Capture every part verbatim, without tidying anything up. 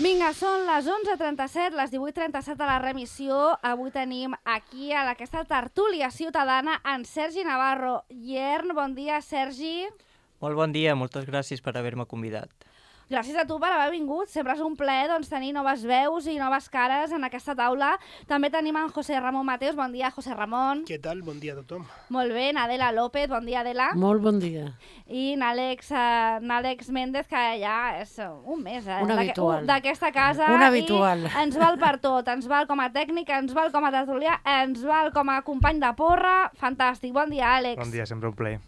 Vinga, són les onze trenta-set, les divuit trenta-set a la remissió. Avui tenim aquí a aquesta tertúlia ciutadana en Sergi Navarro. Iern, bon dia, Sergi. Molt bon dia, moltes gràcies per haver-me convidat. Gràcies a tu per haver vingut. Sempre és un plaer doncs, tenir noves veus i noves cares en aquesta taula. També tenim en José Ramón Mateos. Bon dia, José Ramón. Què tal? Bon dia a tothom. Molt bé, Nadela López. Bon dia, Adela. Molt bon dia. I n'Àlex uh, n'Àlex Méndez, que ja és un mes eh, Un habitual. d'aquesta casa. Un habitual. I ens val per tot. Ens val com a tècnic, ens val com a tertulià, ens val com a company de porra. Fantàstic. Bon dia, Àlex. Bon dia, sempre un plaer.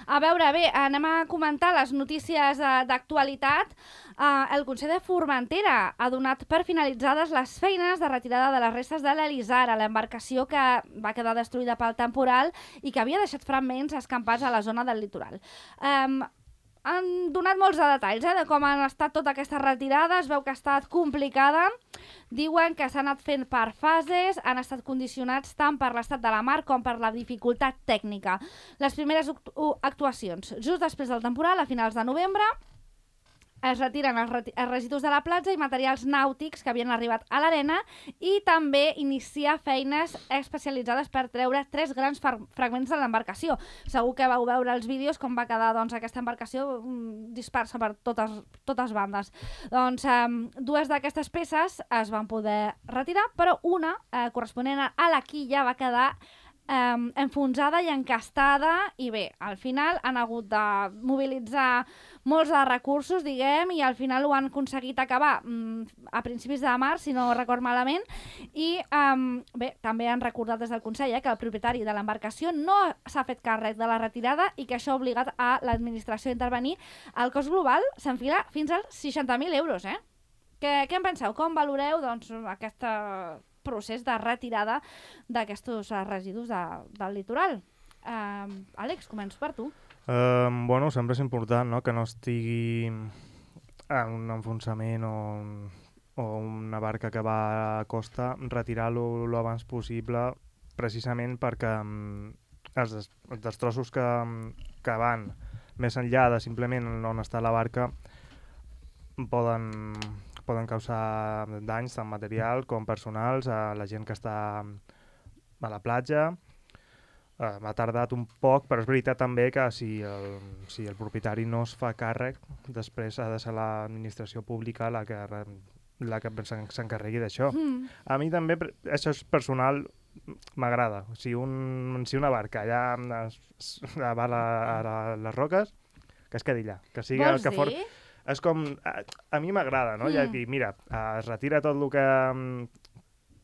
A veure, bé, anem a comentar les notícies uh, d'actualitat. Uh, el Consell de Formentera ha donat per finalitzades les feines de retirada de les restes de l'Elisara, l'embarcació que va quedar destruïda pel temporal i que havia deixat fragments escampats a la zona del litoral. Um, han donat molts de detalls eh, de com han estat tota aquesta retirada. Es veu que ha estat complicada. Diuen que s'han anat fent per fases, han estat condicionats tant per l'estat de la mar com per la dificultat tècnica. Les primeres actuacions, just després del temporal, a finals de novembre, es retiren els, reti els residus de la platja i materials nàutics que havien arribat a l'arena i també iniciar feines especialitzades per treure tres grans fragments de l'embarcació. Segur que vau veure els vídeos com va quedar doncs, aquesta embarcació mm, dispersa per totes, totes bandes. Doncs um, dues d'aquestes peces es van poder retirar, però una, eh, corresponent a la quilla, va quedar Um, enfonsada i encastada i bé, al final han hagut de mobilitzar molts de recursos, diguem, i al final ho han aconseguit acabar um, a principis de març, si no record malament, i um, bé, també han recordat des del Consell eh, que el propietari de l'embarcació no s'ha fet càrrec de la retirada i que això ha obligat a l'administració a intervenir. El cost global s'enfila fins als seixanta mil euros, eh? Què, què en penseu? Com valoreu doncs, aquesta procés de retirada d'aquests residus de, del litoral? Uh, Àlex, començo per tu. Uh, bueno, sempre és important, no?, que no estigui en un enfonsament o, o una barca que va a costa, retirar-lo lo abans possible, precisament perquè um, els, des els destrossos que, que van més enllà de simplement on està la barca poden... poden causar danys tant material com personals a la gent que està a la platja. Uh, m'ha tardat un poc, però és veritat també que si el, si el propietari no es fa càrrec, després ha de ser l'administració pública la que, la que s'encarregui d'això. Mm. A mi també, això és personal, m'agrada. Si, un, si una barca allà va a, la, a les roques, que es quedi allà. Que sigui Vols el que dir? For... És com... A, a mi m'agrada, no? Mm. Ja dir, mira, es retira tot el que,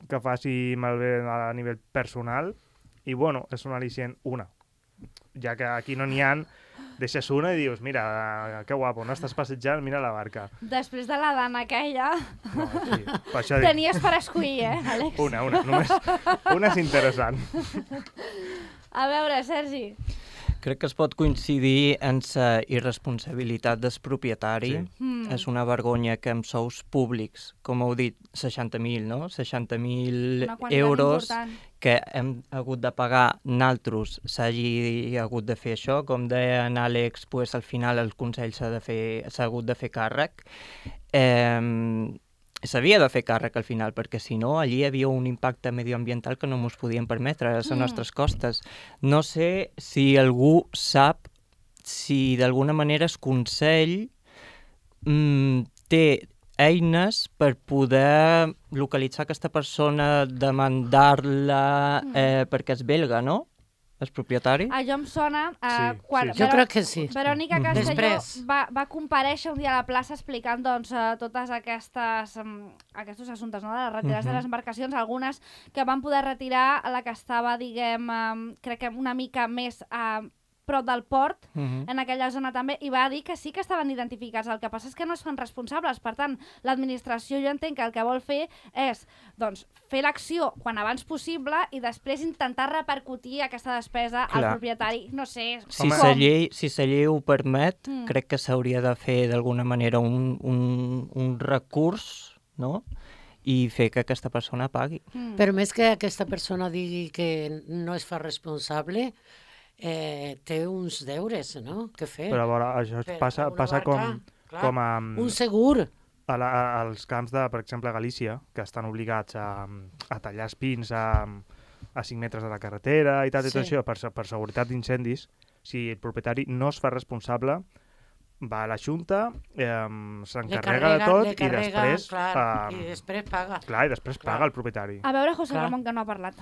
que faci malbé a nivell personal i, bueno, és un al·licient una. Ja que aquí no n'hi ha, deixes una i dius, mira, que guapo, no estàs passejant, mira la barca. Després de la dana aquella... No, sí, per això tenies per escollir, eh, Àlex? Una, una, només una és interessant. A veure, Sergi... Crec que es pot coincidir en la irresponsabilitat del propietari. Sí. Mm. És una vergonya que amb sous públics, com heu dit, seixanta mil, no? seixanta mil euros important. Que hem hagut de pagar naltros, s'hagi hagut de fer això. Com deia en Àlex, pues, al final el Consell s'ha de fer, s'ha hagut de fer càrrec. Eh, S'havia de fer càrrec al final, perquè si no, allí hi havia un impacte medioambiental que no ens podíem permetre a les mm. nostres costes. No sé si algú sap si d'alguna manera el Consell mm, té eines per poder localitzar aquesta persona, demandar-la eh, perquè és belga, no? El propietari? Allò em sona... Uh, Sí, quan sí, sí. Jo crec que sí. Verònica Mhm. Castelló Després. va, va comparèixer un dia a la plaça explicant doncs, uh, totes aquestes, um, aquests assumptes, no? de les retirades Mhm. de les embarcacions, algunes que van poder retirar la que estava, diguem, um, crec que una mica més uh, prop del port, Uh-huh. en aquella zona també, i va dir que sí que estaven identificats. El que passa és que no es fan responsables. Per tant, l'administració, jo entenc que el que vol fer és doncs, fer l'acció quan abans possible i després intentar repercutir aquesta despesa Clar. al propietari. No sé, Si com? la llei, si la llei ho permet, Mm. crec que s'hauria de fer d'alguna manera un, un, un recurs, no?, i fer que aquesta persona pagui. Mm. Però més que aquesta persona digui que no es fa responsable, eh, té uns deures, no?, que fer. Però a veure, això Per passa, una passa barca, com, clar, com a... Un segur. a la, als camps de, per exemple, Galícia, que estan obligats a, a tallar espins a, a cinc metres de la carretera i tal, sí. i tot això, per, per seguretat d'incendis, si el propietari no es fa responsable, va a la Junta, eh, s'encarrega de tot carrega, i després... Clar, eh, i després paga. Clar, i després clar. paga el propietari. A veure, José Clar. Ramón, que no ha parlat.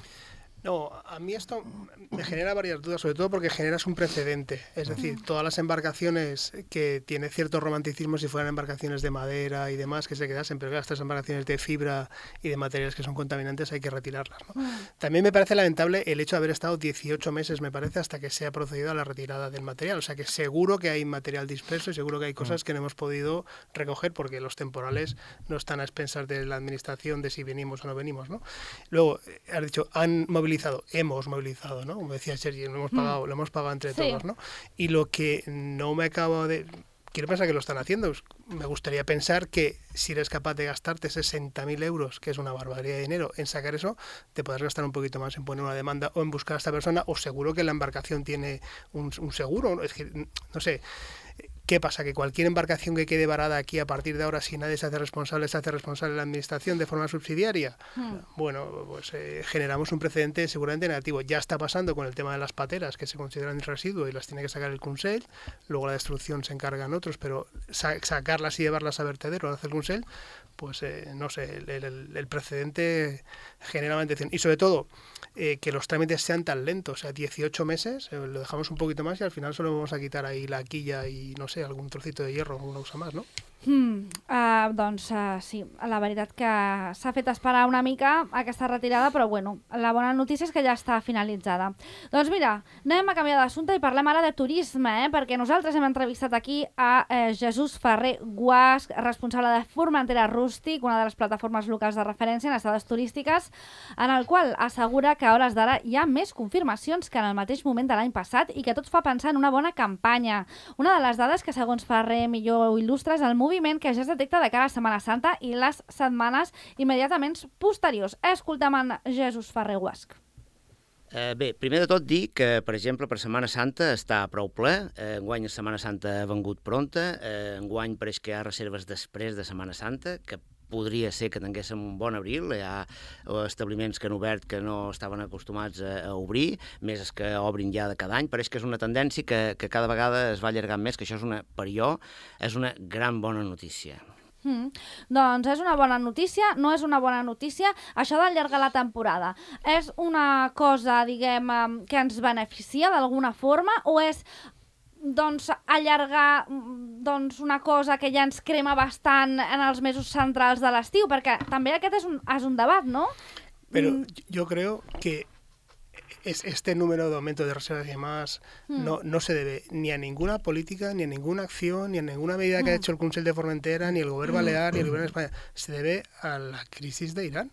No, a mí esto me genera varias dudas, sobre todo porque generas un precedente. Es decir, todas las embarcaciones que tienen cierto romanticismo, si fueran embarcaciones de madera y demás, que se quedasen, pero estas embarcaciones de fibra y de materiales que son contaminantes hay que retirarlas, ¿no? También me parece lamentable el hecho de haber estado dieciocho meses, me parece, hasta que se ha procedido a la retirada del material. O sea que seguro que hay material disperso y seguro que hay cosas que no hemos podido recoger porque los temporales no están a expensas de la administración de si venimos o no venimos, ¿no? Luego, has dicho, han movilizado, hemos movilizado, ¿no? Como decía Sergi, lo hemos pagado, mm. lo hemos pagado entre sí. todos, ¿no? Y lo que no me acabo de... Quiero pensar que lo están haciendo. Me gustaría pensar que si eres capaz de gastarte sesenta mil euros, que es una barbaridad de dinero, en sacar eso, te podrás gastar un poquito más en poner una demanda o en buscar a esta persona, o seguro que la embarcación tiene un, un seguro. Es que, no sé... ¿Qué pasa? ¿Que cualquier embarcación que quede varada aquí a partir de ahora, si nadie se hace responsable, se hace responsable la administración de forma subsidiaria? Hmm. Bueno, pues eh, generamos un precedente seguramente negativo. Ya está pasando con el tema de las pateras, que se consideran residuo y las tiene que sacar el Consell. Luego la destrucción se encargan otros, pero sa- sacarlas y llevarlas a vertedero, lo hace el Consell, pues eh, no sé, el, el, el precedente genera una atención. Y sobre todo, eh, que los trámites sean tan lentos. O sea, dieciocho meses, eh, lo dejamos un poquito más y al final solo vamos a quitar ahí la quilla y no sé, algún trocito de hierro, una cosa más, ¿no? Hmm, uh, doncs uh, sí, la veritat que s'ha fet esperar una mica aquesta retirada, però bueno, la bona notícia és que ja està finalitzada. Doncs mira, anem a canviar d'assumpte i parlem ara de turisme, eh? Perquè nosaltres hem entrevistat aquí a eh, Jesús Ferrer Guasch, responsable de Formentera Rústic, una de les plataformes locals de referència en estades turístiques, en el qual assegura que a hores d'ara hi ha més confirmacions que en el mateix moment de l'any passat i que tot fa pensar en una bona campanya. Una de les dades que, segons Ferrer, millor il·lustra és el moviment que ja es detecta de cara a Setmana Santa i les setmanes immediatament posteriors. Escoltem en Jesús Ferrer Guasch. Eh, bé, primer de tot dir que, per exemple, per Setmana Santa està prou ple. Eh, enguany la Setmana Santa ha vengut pronta. Eh, enguany pareix que hi ha reserves després de Setmana Santa, que podria ser que tinguéssim un bon abril. Hi ha establiments que han obert que no estaven acostumats a, a obrir, més els que obrin ja de cada any. Pareix que és una tendència que, que cada vegada es va allargant més, que això és una, per jo és una gran bona notícia. Mm. Doncs és una bona notícia, no és una bona notícia això d'allargar la temporada. És una cosa, diguem, que ens beneficia d'alguna forma o és doncs allargar doncs, una cosa que ja ens crema bastant en els mesos centrals de l'estiu? Perquè també aquest és un, és un debat, ¿no? Pero mm. yo creo que es, este número de aumento de reservas y demás mm. no, no se debe ni a ninguna política, ni a ninguna acción, ni a ninguna medida mm. que ha hecho el Consell de Formentera, ni el Gobierno Balear, ni el Gobierno de España. Se debe a la crisis de Irán.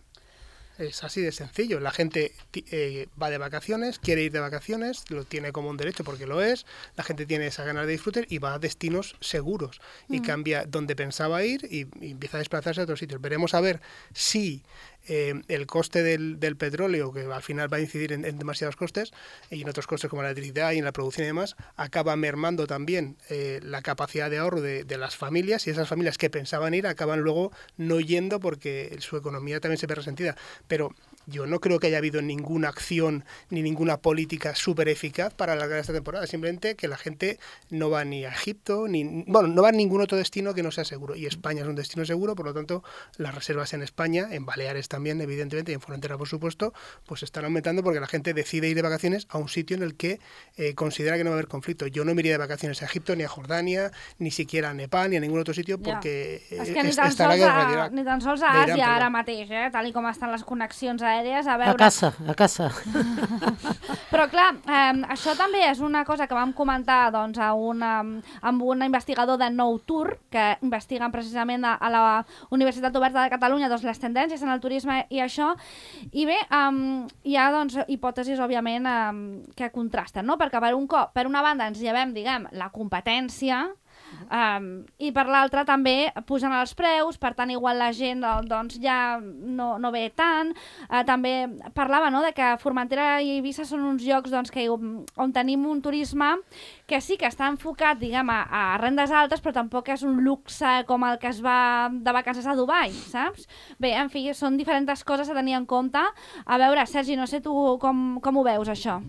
Es así de sencillo. La gente eh, va de vacaciones, quiere ir de vacaciones, lo tiene como un derecho porque lo es, la gente tiene esa ganas de disfrutar y va a destinos seguros y mm. cambia donde pensaba ir y, y empieza a desplazarse a otros sitios. Veremos a ver si eh, el coste del, del petróleo, que al final va a incidir en, en demasiados costes y en otros costes como la electricidad y en la producción y demás, acaba mermando también eh, la capacidad de ahorro de, de las familias, y esas familias que pensaban ir acaban luego no yendo porque su economía también se ve resentida. Pero yo no creo que haya habido ninguna acción ni ninguna política súper eficaz para alargar esta temporada. Simplemente que la gente no va ni a Egipto, ni bueno, no va a ningún otro destino que no sea seguro. Y España es un destino seguro, por lo tanto, las reservas en España, en Baleares también, evidentemente, y en Formentera, por supuesto, pues están aumentando porque la gente decide ir de vacaciones a un sitio en el que eh, considera que no va a haber conflicto. Yo no me iría de vacaciones a Egipto, ni a Jordania, ni siquiera a Nepal, ni a ningún otro sitio, porque ja. és que ni es, tan, estarà sols a, a, ni tan sols a Àsia ara mateix, eh? Tal com estan les connexions aèries, a veure... A casa, a casa. Però clar, eh, això també és una cosa que vam comentar doncs, a una, amb un investigador de Nou Tour, que investiguen precisament a, a la Universitat Oberta de Catalunya doncs, les tendències en el turisme i això, i bé, um, hi ha doncs, hipòtesis, òbviament, um, que contrasten, no? Perquè per un cop, per una banda ens llevem, diguem, la competència, Um, I per l'altra també pugen els preus, per tant igual la gent doncs ja no, no ve tant. Uh, també parlava, no?, de que Formentera i Eivissa són uns llocs doncs, que, on tenim un turisme que sí que està enfocat, diguem, a, a rendes altes, però tampoc és un luxe com el que es va de vacances a Dubai, saps? Bé, en fi, són diferents coses a tenir en compte. A veure, Sergi, no sé tu com, com ho veus, això?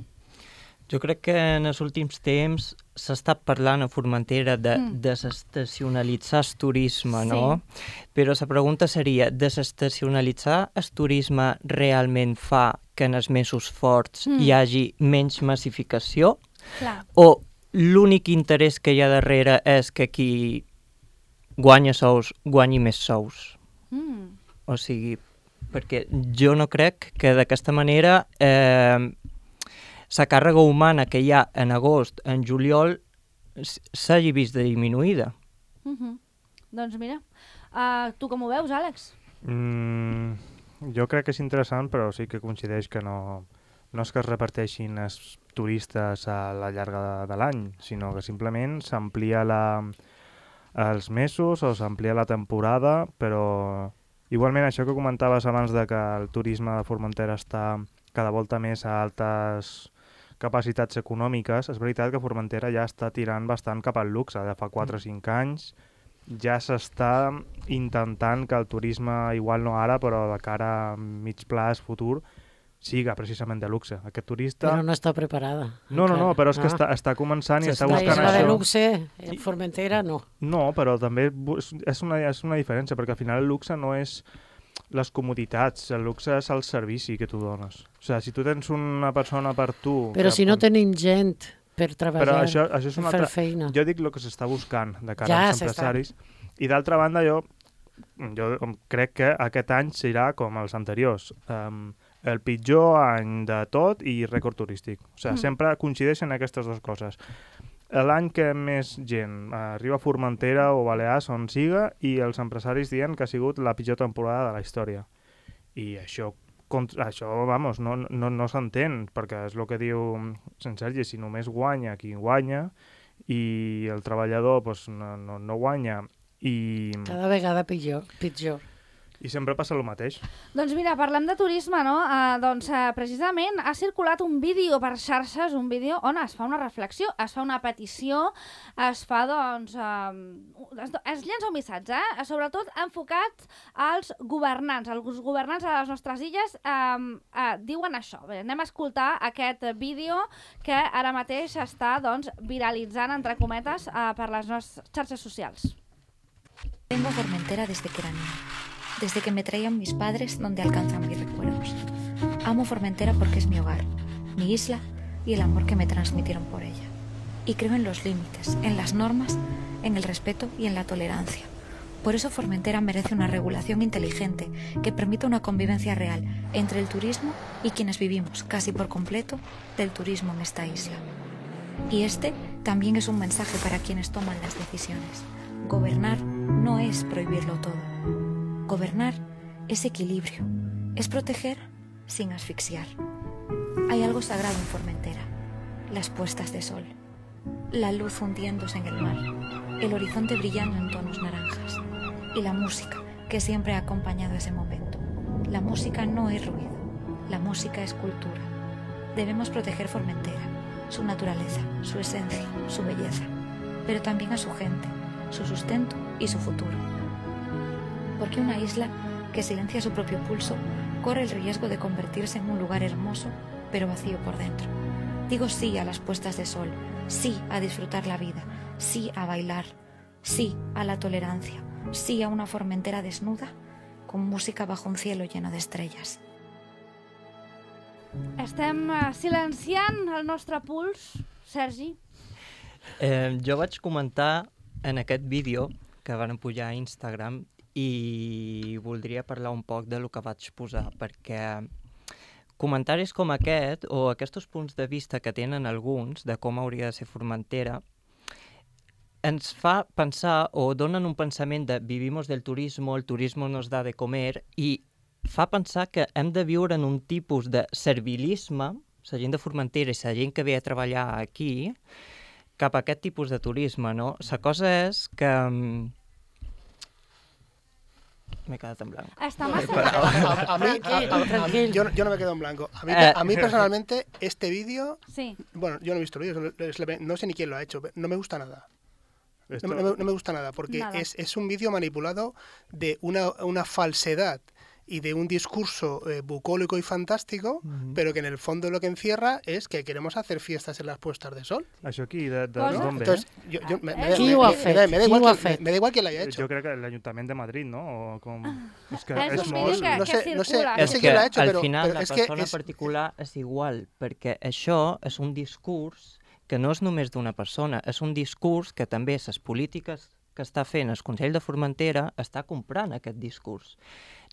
Jo crec que en els últims temps s'ha estat parlant a Formentera de Mm. desestacionalitzar el turisme, Sí. no? Però la pregunta seria, desestacionalitzar el turisme realment fa que en els mesos forts Mm. hi hagi menys massificació? Clar. O l'únic interès que hi ha darrere és que qui guanya sous guanyi més sous? Mm. O sigui, perquè jo no crec que d'aquesta manera eh, la càrrega humana que hi ha en agost, en juliol, s- s'hagi vist diminuïda. Mm-hmm. Doncs mira, uh, tu com ho veus, Àlex? Mm, jo crec que és interessant, però sí que coincideix que no, no és que es reparteixin els turistes a la llarga de, de l'any, sinó que simplement s'amplia la, els mesos o s'amplia la temporada, però igualment això que comentaves abans de que el turisme de Formentera està cada volta més a altes capacitats econòmiques, és veritat que Formentera ja està tirant bastant cap al luxe, de fa quatre o cinc anys ja s'està intentant que el turisme, igual no ara, però de cara a mig plaç futur, siga precisament de luxe. Aquest turista... Però no està preparada. No, no, no, encara. però és que Ah. està, està començant i està La buscant isla de això. luxe, en Formentera, no. No, però també bu- és- és una, és una diferència, perquè al final el luxe no és les comoditats, el luxe és el servici que tu dones. O sigui, si tu tens una persona per tu... Però que si no pot- tenim gent per treballar, Però això, això és per una fer altra... feina. Jo dic el que s'està buscant de cara Ja als s'està. empresaris. I d'altra banda, jo, jo crec que aquest any serà com els anteriors. Um, el pitjor any de tot i rècord turístic. O sigui, Mm. sempre coincideixen aquestes dues coses. L'any que més gent arriba a Formentera o Balears, on siga, i els empresaris diuen que ha sigut la pitjor temporada de la història. I això, contra, això vamos, no, no, no s'entén, perquè és el que diu Sant Sergi, si només guanya qui guanya i el treballador pues, no, no, no guanya i, Cada vegada pitjor. pitjor. i sempre passa el mateix. Doncs mira, parlem de turisme, no? Uh, doncs uh, precisament ha circulat un vídeo per xarxes, un vídeo on es fa una reflexió, es fa una petició, es fa, doncs... Uh, es, es llença un missatge, eh? Sobretot enfocat als governants. Els governants a les nostres illes uh, uh, diuen això. Bé, anem a escoltar aquest vídeo que ara mateix està, doncs, viralitzant, entre cometes, uh, per les nostres xarxes socials. Vengo a Formentera desde que era niña, desde que me traían mis padres donde alcanzan mis recuerdos. Amo Formentera porque es mi hogar, mi isla y el amor que me transmitieron por ella. Y creo en los límites, en las normas, en el respeto y en la tolerancia. Por eso Formentera merece una regulación inteligente que permita una convivencia real entre el turismo y quienes vivimos casi por completo del turismo en esta isla. Y este también es un mensaje para quienes toman las decisiones. Gobernar no es prohibirlo todo. Gobernar es equilibrio, es proteger sin asfixiar. Hay algo sagrado en Formentera, las puestas de sol, la luz hundiéndose en el mar, el horizonte brillando en tonos naranjas y la música que siempre ha acompañado ese momento. La música no es ruido, la música es cultura. Debemos proteger Formentera, su naturaleza, su esencia, su belleza, pero también a su gente, su sustento y su futuro. Porque una isla que silencia su propio pulso corre el riesgo de convertirse en un lugar hermoso, pero vacío por dentro. Digo sí a las puestas de sol, sí a disfrutar la vida, sí a bailar, sí a la tolerancia, sí a una Formentera desnuda con música bajo un cielo lleno de estrellas. Estem uh, silenciant el nostre puls, Sergi. Eh, jo vaig comentar en aquest vídeo que van pujar a Instagram i voldria parlar un poc de lo que vaig posar, perquè comentaris com aquest, o aquests punts de vista que tenen alguns de com hauria de ser Formentera, ens fa pensar o donen un pensament de vivimos del turismo, el turismo nos da de comer, i fa pensar que hem de viure en un tipus de servilisme, la gent de Formentera i la gent que ve a treballar aquí, cap a aquest tipus de turisme, no? La cosa és que... M'he quedat en blanco. Està massa... A, a, a mí, Tranquil, a- a- a- tranquil. yo, yo no me quedo en blanco. A mí, Eh. a mí personalmente, este vídeo, Sí. bueno, yo no he visto el vídeo, es la- no sé ni quién lo ha hecho, pero no me gusta nada. Esto- No, me- no me- no me gusta nada, porque Nada. es, es un vídeo manipulado de una, una falsedad y de un discurso eh, bucólico y fantástico, Mhm. pero que en el fondo lo que encierra es que queremos hacer fiestas en las puestas de sol. Això aquí, de, de, Cosa? d'on ve? Entonces, yo, yo- me, me- Qui me- ho ha me- fet? me da- me da Qui igual ho ha que- fet? me- me da igual que lo haya hecho. Jo crec que l'Ajuntament de Madrid, no? O com... És que És és un molt... vídeo que- no sé, no sé, circula. no És sé que quién lo ha hecho, al pero, final pero la es que persona es, particular és igual, perquè això és un discurs que no és només d'una persona, és un discurs que també les polítiques que està fent el Consell de Formentera està comprant aquest discurs.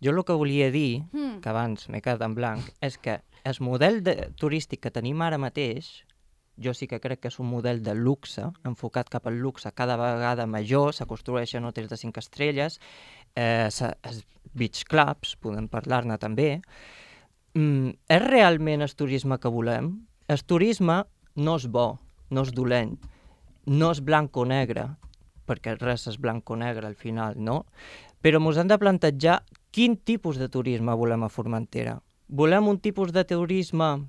Jo el que volia dir, Mm. que abans m'he quedat en blanc, és que el model de, turístic que tenim ara mateix, jo sí que crec que és un model de luxe, enfocat cap al luxe cada vegada major, se construeixen hotels de cinc estrelles, eh, se, els beach clubs, podem parlar-ne també. Mm, és realment el turisme que volem? El turisme no és bo, no és dolent, no és blanc o negre, perquè res és blanc o negre al final, no? Però ens hem de plantejar quin tipus de turisme volem a Formentera. Volem un tipus de turisme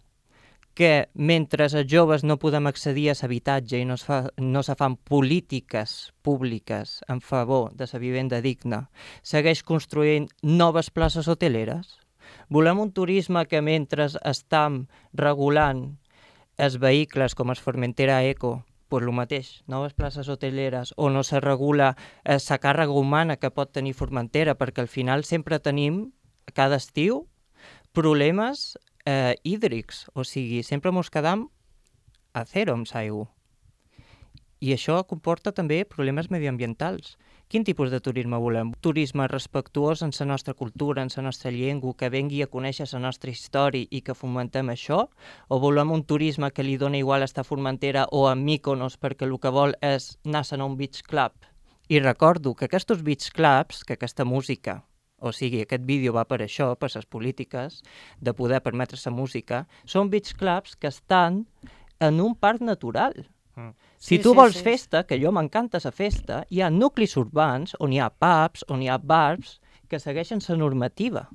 que mentre els joves no podem accedir a l'habitatge i no es, fa, no se fan polítiques públiques en favor de la vivenda digna, segueix construint noves places hoteleres? Volem un turisme que mentre estem regulant els vehicles com el Formentera Eco, pues el mateix, noves places hoteleres, o no se regula la eh, càrrega humana que pot tenir Formentera, perquè al final sempre tenim, cada estiu, problemes eh, hídrics, o sigui, sempre ens quedam a zero amb l'aigua. I això comporta també problemes mediambientals. Quin tipus de turisme volem? Turisme respectuós en la nostra cultura, en la nostra llengua, que vengui a conèixer la nostra història i que fomentem això? O volem un turisme que li dona igual estar a Formentera o a Mykonos perquè el que vol és anar a un beach club? I recordo que aquests beach clubs, que aquesta música, o sigui, aquest vídeo va per això, per les polítiques de poder permetre la música, són beach clubs que estan en un parc natural. Mm. Si Sí, tu sí, vols sí. festa, que jo m'encanta la festa, hi ha nuclis urbans on hi ha pubs, on hi ha bars que segueixen la normativa.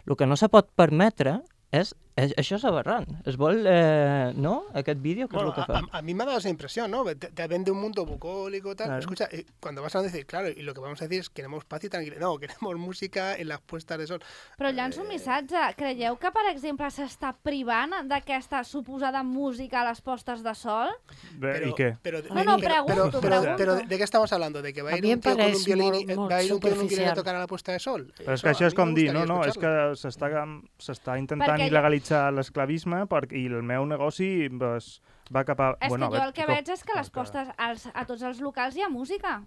El que no se pot permetre és, és això és aberrant. Es vol, eh, no?, aquest vídeo, què Bueno, és el que a, fa? a- a mí me ha dado esa impresión, ¿no? Te, te vende un mundo bucólico y tal. Claro. Escucha, eh, cuando vas a decir, claro, y lo que vamos a decir es queremos paz y tranquilidad. No, queremos música en las puestas de sol. Però llanço un missatge. Creieu que, per exemple, s'està privant d'aquesta suposada música a les postes de sol? Bé, I què? Pero, No, no, pero- pregunto, pero, pero- pregunto. pero ¿de qué estamos hablando? ¿De que va a A ir mí un em tío con un pareix violín, molt- y- molt va a ir un tío con un violín a superficial. tocar a la puesta de sol? Però és Eso que a això és mí me com dir, no, gustaría no, és escucharlo. que s'està s'està intentant Perquè jo- il·legalitzar l'esclavisme per- i el meu negoci pues, va cap a... És bueno, que jo a el que com- veig és que a les com postes, als, a tots els locals hi ha música.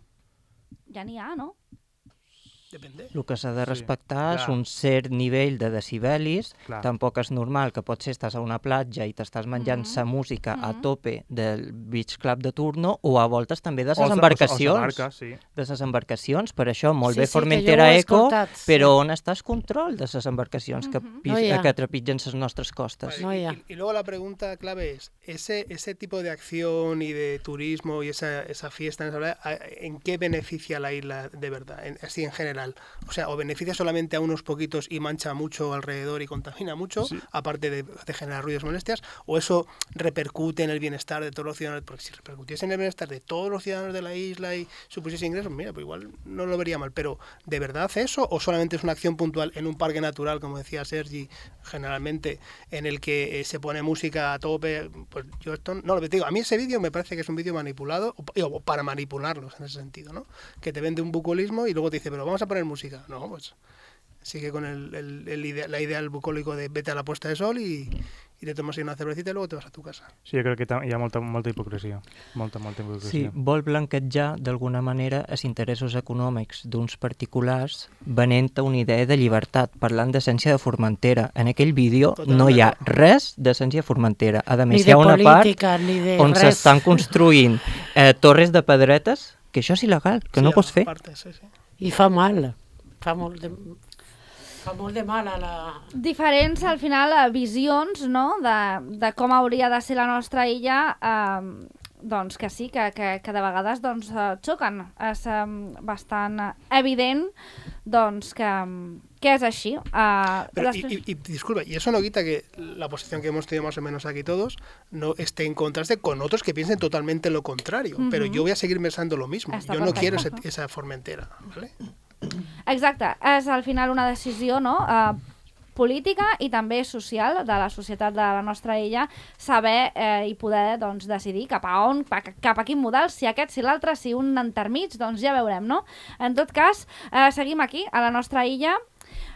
Ja n'hi ha, no? Depende. El que s'ha de Sí, respectar és clar. un cert nivell de decibelis. Clar. Tampoc és normal que potser estàs a una platja i t'estàs menjant Mhm. sa música a Mhm. tope del beach club de turno o a voltes també de O les se- embarcacions. O, o, o barca, sí. de les embarcacions. Per això, molt Sí, bé sí, que Formentera jo ho he Eco, escoltat, sí. però on està el control de les embarcacions que, Mhm. pis, No hi ha. que trepitgen les nostres costes? Vale, No, y, ya. y- y luego la pregunta clave es, ese, ese tipo de acción y de turismo y esa, esa fiesta, en, esa- ¿a- ¿en qué beneficia a la isla de verdad? En- así en general. O sea, o beneficia solamente a unos poquitos y mancha mucho alrededor y contamina mucho, Sí. aparte de, de generar ruidos y molestias, o eso repercute en el bienestar de todos los ciudadanos, porque si repercutiese en el bienestar de todos los ciudadanos de la isla y supusiese ingresos, mira, pues igual no lo vería mal, pero ¿de verdad hace eso o solamente es una acción puntual en un parque natural, como decía Sergi, generalmente, en el que eh, se pone música a tope? Pues yo esto no lo digo. A mí ese vídeo me parece que es un vídeo manipulado, o, o para manipularlos en ese sentido, ¿no? Que te vende un bucolismo y luego te dice, pero vamos a poner música. No, pues sigue con el, el, el idea, la idea del bucólico de vete a la puesta de sol y, y te tomas ahí una cervecita y luego te vas a tu casa. Sí, jo crec que ta- hi ha molta, molta hipocresia. Molta, molta Sí, hipocresia. vol blanquejar d'alguna manera els interessos econòmics d'uns particulars venent una idea de llibertat, parlant d'essència de Formentera. En aquell vídeo Totalment no hi ha d'acord. res d'essència de Formentera. A Ni més, hi de ha una part política, ni de on res. s'estan construint eh, torres de pedretes, que això és il·legal, que Sí, no pots fer. aparte, sí, sí. I fa mal. Fa molt de, fa molt de mal a la... Diferents, al final, eh, visions, no?, de, de com hauria de ser la nostra illa, eh, doncs que sí, que, que, que de vegades doncs, xoquen. És um, bastant evident doncs, que, que és així. Uh, Pero, després... y, y, y disculpa, y eso no quita que la posición que hemos tenido más o menos aquí todos no esté en contraste con otros que piensen totalmente lo contrario. Uh-huh. Pero yo voy a seguir pensando lo mismo. Està yo no perfecte. quiero ese, esa Formentera, ¿vale? Exacte, és al final una decisió, no?, uh, política i també social de la societat de la nostra illa, saber eh, i poder doncs, decidir cap a on, cap a quin model, si aquest, si l'altre, si un entremig, doncs ja veurem, no? En tot cas, eh, seguim aquí, a la nostra illa.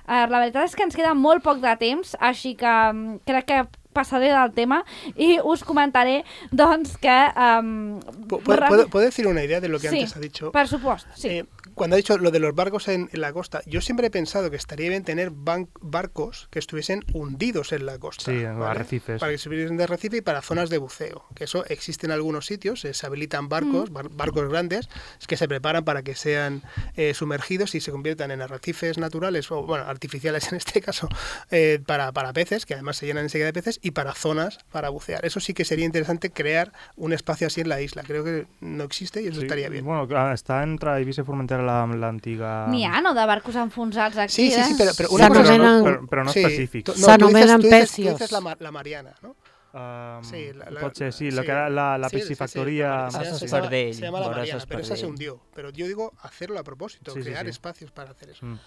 Eh, la veritat és que ens queda molt poc de temps, així que um, crec que passaré del tema i us comentaré, doncs, que... Um, ¿Puedo, ¿puedo, ¿Puedo decir una idea de lo que sí, antes ha dicho? Per supuesto, sí. Eh, cuando ha dicho lo de los barcos en, en la costa, yo siempre he pensado que estaría bien tener ban barcos que estuviesen hundidos en la costa. Sí, en ¿vale? arrecifes. Para que estuviesen de arrecife y para zonas de buceo. Que eso existe en algunos sitios, eh, se habilitan barcos, mm. bar barcos grandes, que se preparan para que sean eh, sumergidos y se conviertan en arrecifes naturales, o bueno, artificiales en este caso, eh, para, para peces, que además se llenan enseguida de peces, y para zonas para bucear. Eso sí que sería interesante crear un espacio así en la isla. Creo que no existe y eso sí, estaría bien. Bueno, està entre Eivissa i Formentera l'antiga... N'hi ha, no?, de barcos enfonsats aquí. Sí, sí, sí, però, però una cosa... Però, no, però, però no sí, específics. No, S'anomenen tu dices, pecios. tu dices la, la Mariana, ¿no? Um, sí, la, la, pot ser, sí, sí, la, la, la, la sí, piscifactoría... Sí, sí, sí, se, sí. llama, Espardell, se llama la Boras Mariana, pero esa se Espardell. hundió. Pero yo digo hacerlo a propósito, Sí, sí, crear sí. espacios para hacer eso. Mm.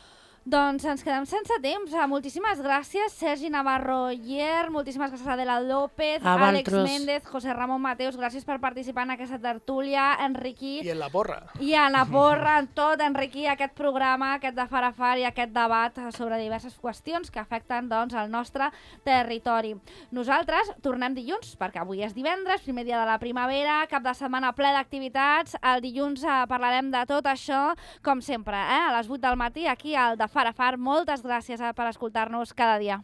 Doncs ens quedem sense temps. Moltíssimes gràcies, Sergi Navarro Yer, moltíssimes gràcies a Adela López, A Àlex vosaltres. Méndez, José Ramon Mateus, gràcies per participar en aquesta tertúlia, Enriquí, Y en la porra. i a la porra, en tot, Enriquí, aquest programa, aquest de Far a Far i aquest debat sobre diverses qüestions que afecten doncs, el nostre territori. Nosaltres tornem dilluns, perquè avui és divendres, primer dia de la primavera, cap de setmana ple d'activitats. El dilluns eh, parlarem de tot això, com sempre, eh? a les vuit del matí, aquí al de Far a Far. Moltes gràcies eh, per escoltar-nos cada dia.